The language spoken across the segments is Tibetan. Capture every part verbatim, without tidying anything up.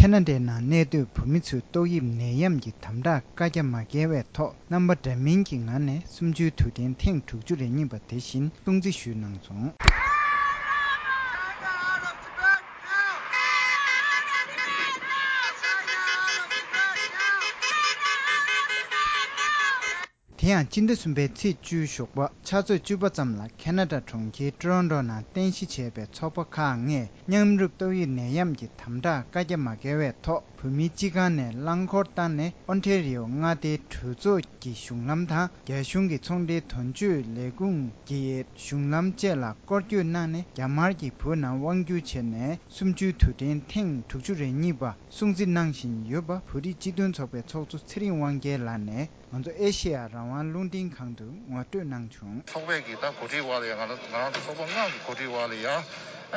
ཁ་ན་ཌའི་ནང་གནས་སྡོད་བོད་མི་ཚོས་ཏོག་དབྱིབས་ནད་ཡམས་ཀྱི་དམ་དྲག་བཀའ་རྒྱ་མ་བཀལ་བའི་ཐོག་རྣམ་པ་འདྲ་མིན་གྱི་ངང་ནས་གསུམ་བཅུའི་དུས་དྲན་ཐེངས་དྲུག་ཅུ་རེ་གཉིས་པ་དེ་བཞིན་སྲུང་བརྩི་ཞུས་གནང་སོང་། དེ་ཡང་སྤྱི་ཟླ་གསུམ་པའི་ཚེས་བཅུའི་ཞོགས་པ་ཆུ་ཚོད་བཅུ་པ་ཙམ་ལ་ཁ་ན་ཌ་གྲོང་ཁྱེར་ཊོ་རོན་ཊོ་ནང་རྟེན་གཞི་བྱས་པའི་ཚོགས་པ་ཁག་ལྔས་མཉམ་རུབ་ཏོག་དབྱིབས་ནད་ཡམས་ཀྱི་དམ་དྲག་བཀའ་རྒྱ་མ་བཀལ་བའི་ཐོག་བོད་མིའི་སྤྱི་ཁང་ནས་རླངས་འཁོར་བཏང་ནས་ཨོན་ཊེ་རི་ཡོ་མངའ་སྡེའི་གྲོས་ཚོགས་ཀྱི་གཞུང་ལམ་དང་རྒྱ་གཞུང་གི་ཚོང་འབྲེལ་དོན་གཅོད་ལས་ཁུངས་ཀྱི་གཞུང་ལམ་བཅས་ལ་སྐོར་སྐྱོད་གནང་ནས་རྒྱ་དམར་གྱིས་བོད་ནང་དབང་བསྒྱུར་བྱས་ནས་གསུམ་བཅུའི་དུས་དྲན་ཐེངས་དྲུག་ཅུ་རེ་གཉིས་པ་སྲུང་བརྩི་གནང་བཞིན་ཡོད་པ་བོད་རིགས་སྤྱི་མཐུན་ཚོགས་པའི་ཚོགས་གཙོ་ཚེ་རིང་དབང་རྒྱལ་ལགས་ནས་ང་ཚོ་ཨེ་ཤེ་ཡ་རང་དབང་རླུང་འཕྲིན་ཁང་དུ་ངོ་སྤྲོད་གནང་བྱུང་། ཚོགས་པའི་གི་ད་གོ་སྒྲིག་འོག་ལ་ཡ་ང་ང་རང་ཚོ་ཚོགས་པ་ལྔ་གི་གོ་སྒྲིག་འོག་ལ་ཡ་ཨ་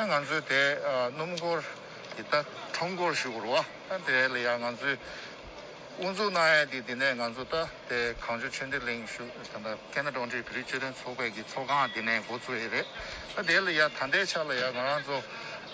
ང་ཚོའི་དེ་ཨ་སྣུམ་འཁོར་གི་ད་ཁྲོམ་སྐོར་ཞུ་དགོས་རེད་བ། ཨ་དེ་ལ་ཡ་ང་ཚོའི་དབུ་འཛུགས་གནང་ཡ་དེ་དེ་ནས་ང་ཚོ་ད་དེ་གངས་ལྗོངས་ཆོས་ལྡན་གླིང་ཞུ་ད་ལྟ་ཁ་ན་ཌ་དབང་འདུས་བོད་རིགས་སྤྱི་མཐུན་ཚོགས་པའི་གི་ཚོགས་ཁང་དེ་ནས་འགོ་བཙུགས་ཡ་རེད། ཨ་དེ་ལ་ཡ་ད་ལྟའི་ཆ་ལ་ཡ་ང་རང་ཚོ་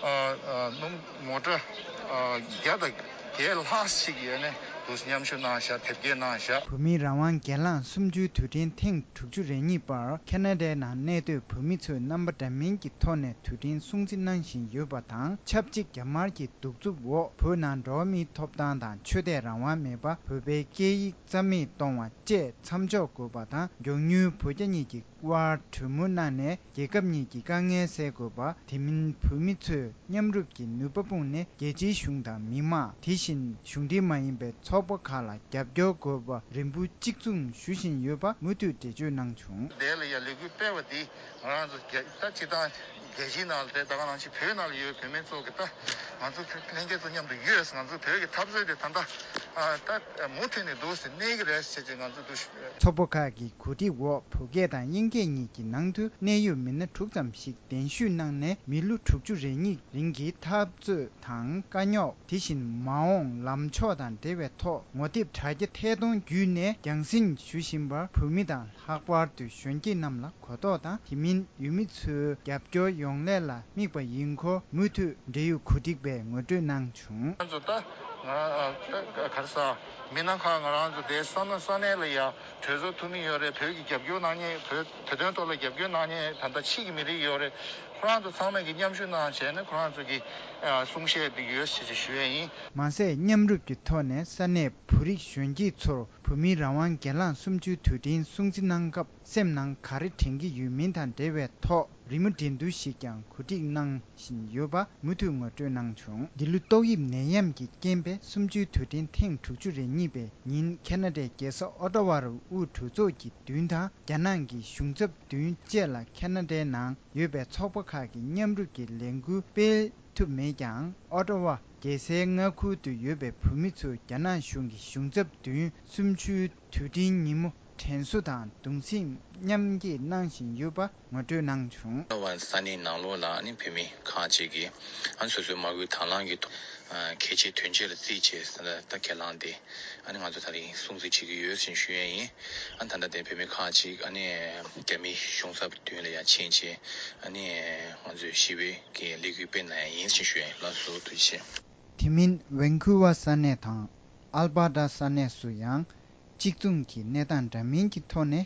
ཨ་ཨ་སྣུམ་མོ་ཊ་ཨ་བརྒྱ་དང་བརྒྱད་ལྷག་ཞིག་ཡོད་ནས་འདུག་མཉམ་ཞུགས་གནང་བཞག་དེབ་སྐྱེལ་གནང་བཞག་བོད་མིའི་རང་དབང་སྒེར་ལངས་གསུམ་བཅུའི་དུས་དྲན་ཐེངས་དྲུག་ཅུ་རེ་གཉིས་པར་ཁ་ན་ཌའི་ནང་གནས་སྡོད་བོད་མི་ཚོས་རྣམ་པ་འདྲ་མིན་གྱི་ཐོག་ནས་དུས་དྲན་སྲུང་བརྩི་གནང་བཞིན་ཡོད་པ་དང་ཆབས་ཅིག་རྒྱ་དམར་གྱི་གདུག་རྩུབ་འོག་བོད་ནང་འགྲོ་བ་མིའི་ཐོབ་ཐང་དང་ཆོས་དད་རང་དབང་མེད་པ། བོད་པའི་སྐད་ཡིག་རྩ་མེད་གཏོང་བ་བཅས་མཚམས་འཇོག་དགོས་པ་དང་མགྱོགས་མྱུར་བོད་རྒྱ་གཉིས་ཀྱི་དབར་གྲོས་མོལ་གནང་ནས་རྒྱལ་ཁབ་གཉིས་ཀྱི་དཀའ་ངལ་སེལ་དགོས་པ། དེ་མིན་བོད་མི་ཚོས་མཉམ་རུབ་ཀྱི་ནུས་པ་སྤུངས་ནས་རྒྱལ་སྤྱིའི་གཞུང་དང་མི་དམངས། དེ་བཞིན་གཞུང་འབྲེལ་མ་ཡིན་པའི་ཚོགས་པ་ཁག་ལ་རྒྱབ་སྐྱོར་དགོས་པ་རེ་འབོད་གཅིག་མཚུངས་ཞུ་བཞིན་ཡོད་པ་མུ་མཐུད་འགྲེལ་བརྗོད་གནང་བྱུང་། དེ་ལ་ཡ་ལས་འགུལ་སྤེལ་བ་འདི་ང་རང་ཚོ་རྒྱ་ད་སྤྱི་བཏང་རྒྱལ་སྤྱིའི་ནང་ལ་དེ་ད་ག་ནང་བཞིན་བོད་ནང་ལ་ཡོད་བོད་མི་ཚོ་གི་ད་ང་ཚོ་ལྷན་རྒྱས་ཚོ་མཉམ་དུ་ཡོད། ང་ཚོ་བོད་ཀྱི་འཐབ་རྩོད་དེ་ད་ལྟ་ཨ་ད་མུ་མཐུད་ནས་འདུག་སེ་གནས་ཀྱི་རེད་ཟེར་ཅིག་ང་ཚོ་འདུག་ཚོགས་པ་ཁག་གི་གོ་སྒྲིག་འོག་བོད་སྐད་དང་དབྱིན་སྐད་གཉིས་ཀྱི་ནང་དུ་གནད་ཡོད་མི་སྣ་དྲུག་ཙམ་ཞིག་གདན་ཞུས་གནང་ནས་མི་ལོ་དྲུག་ཅུ་རེ་གཉིས་རིང་གི་འཐབ་རྩོད་དང་དཀའ་རྙོག་དེ་བཞིན་མ་འོངས་ལམ་ཕྱོགས་དང་འབྲེལ་བའི་ཐོག་ངོ་དེབ་དྲ་རྒྱ་ཐད་གཏོང་བརྒྱུད་ནས་རྒྱང་སྲིང་ཞུ་བཞིན་པར་བོད་མི་དང་ལྷག་པར་དུ་གཞོན་སྐྱེས་རྣམས་ལ་གོ་རྟོགས་དང་དེ་མིན་ཡུལ་མི་ཚོའི་རྒྱབ་སྐྱོར་ཡོང་སླད་ལ་དམིགས་པ་ཡིན་སྐོར་མུ་མཐུད་འབྲེལ་ཡོད་གོ་སྒྲིག་པས་ངོ་སྤྲོད་གནང་བྱུང་། ང་ཚོ་ད་ང་ག་རེ་ཟ་མི་སྣ་ཁག་ང་རང་ཚོ་དེ་ས་ན་ས་གནས་ལ་ཡ་གྲོས་ཚོགས་འཐུས་མི་ཡོད་རེད། བོད་ཀྱི་རྒྱབ་སྐྱོར་གནང་མཁན་བོད་བོད་དོན་ཐོག་ལ་རྒྱབ་སྐྱོར་གནང་མཁན་ད་ལྟ་ཕྱི་གི་མི་རིགས་ཡོད་རེད། ཁོ་རང་ཚོ་ཚང་མས་ཀྱི་མཉམ་ཞུགས་གནང་བྱས་ནས་ཁོ་རང་ཚོ་གི་གསུང་བཤད་འདི་ཡོད་ཞེས་ཞུ་ཡས་ཡིན། མ་ཟད་མཉམ་རུབ་ཀྱི་ཐོག་ནས་ས་གནས་བོད་རིགས་གཞོན་སྐྱེས་ཚོར་བོད་མིའི་རང་དབང་སྒེར་ལངས་གསུམ་བཅུའི་དུས་དྲན་སྲུང་བརྩི་གནང་སྐབས་སེམས་ནང་ག་རེ་དྲན་གྱི་ཡོད་མིན་དང་འབྲེལ་བའི་ཐོག་རི་མོ་འགྲན་བསྡུར་ཞིག་ཀྱང་གོ་སྒྲིག་གནང་བཞིན་ཡོད་པ་མུ་མཐུད་ངོ་སྤྲོད་གནང་བྱུང་། འདི་ལོ་ཏོག་དབྱིབས་ནད་ཡམས་ཀྱི་རྐྱེན་པས་གསུམ་བཅུའི་དུས་དྲན་ཐེངས་དྲུག་ཅུ་རེ་གཉིས་པའི་ཉིན་ཁ་ན་ཌའི་རྒྱལ་ས་ཨོ་ཊ་ཝ་རུ་དབུས་གྲོས་ཚོགས་ཀྱི་མདུན་དང་རྒྱ་ནག་གི་གཞུང་ཚབ་མདུན་བཅས་ལ་ཁ་ན་ཌའི་ནང་ཡོད་པའི་ཚོགས་པ་ཁག་གི་མཉམ་རུབ་ཀྱི་ལས་འགུལ་སྤེལ་ཐུབ་མེད་ཀྱང་ཨོ་ཊ་ཝ་རྒྱལ་སའི་མངའ་ཁུལ་དུ་ཡོད་པའི་བོད་མི་ཚོས་རྒྱ་ནག་གཞུང་གི་གཞུང་ཚབ་མདུན་གསུམ་བཅུའི་དུས་དྲན་ཉིན་མོ་དྲན་གསོ་དང་གདུང་སེམས་མཉམ་སྐྱེད་གནང་བཞིན་ཡོད་པ་ངོ་སྤྲོད་གནང་བྱུང་། ཨོ་ཊ་ཝ་ས་གནས་ནང་ལོགས་ལ་ནི་བོད་མི་ཁག་ཅིག་གིས་ཨ་ནི་སོ་སོའི་མ་སྐུལ་དང་བླངས་ཀྱི་ཐོག་གལ་ཆེའི་དོན་ཆེན་ལ་བརྩིས་བྱས་ད་ཁས་བླངས་ཏེ་ཨ་ནི་ང་ཚོ་ད་རིང་སྲུང་བརྩི་བྱེད་ཀྱི་ཡོད་ཅེས་ཞུ་ཡས་ཡིན། ཨ་ནི་ད་ལྟ་དེ་བོད་མི་ཁག་ཅིག་ཨ་ནི་རྒྱ་མིའི་གཞུང་ཚབ་མདུན་ལ་ཡར་ཕྱིན་བྱས་ཨ་ནི་ང་ཚོས་ཞི་བའི་གི་ལས་འགུལ་སྤེལ་གནང་ཡ་ཡིན་ཞེས་ཞུ་ཡ་ཡིན། ལགས་སོ། ཐུགས་རྗེ་ཆེ། དེ་མིན་ཝན་ཁུ་ཝར་ས་གནས་དང་ཨལ་བྷར་ཏ་ས་གནས་སུ་ཡང་གཅིག་མཚུངས་ཀྱི་གནས་སྟངས་འདྲ་མིན་གྱི་ཐོག་ནས་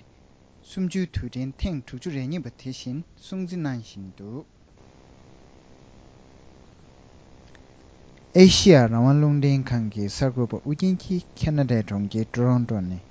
གསུམ་བཅུའི་དུས་དྲན་ཐེངས་དྲུག་ཅུ་རེ་གཉིས་པ་དེ་བཞིན་སྲུང་བརྩི་གནང་བཞིན་འདུག་ཨེ་ཤི་ཡ་རང་དབང་རླུང་འཕྲིན་ཁང་གི་གསར་འགོད་པ་ཨུ་རྒྱན་གྱིས་ཁ་ན་ཌའི་གྲོང་ཁྱེར་ཊོ་རོན་ཊོ་ནས་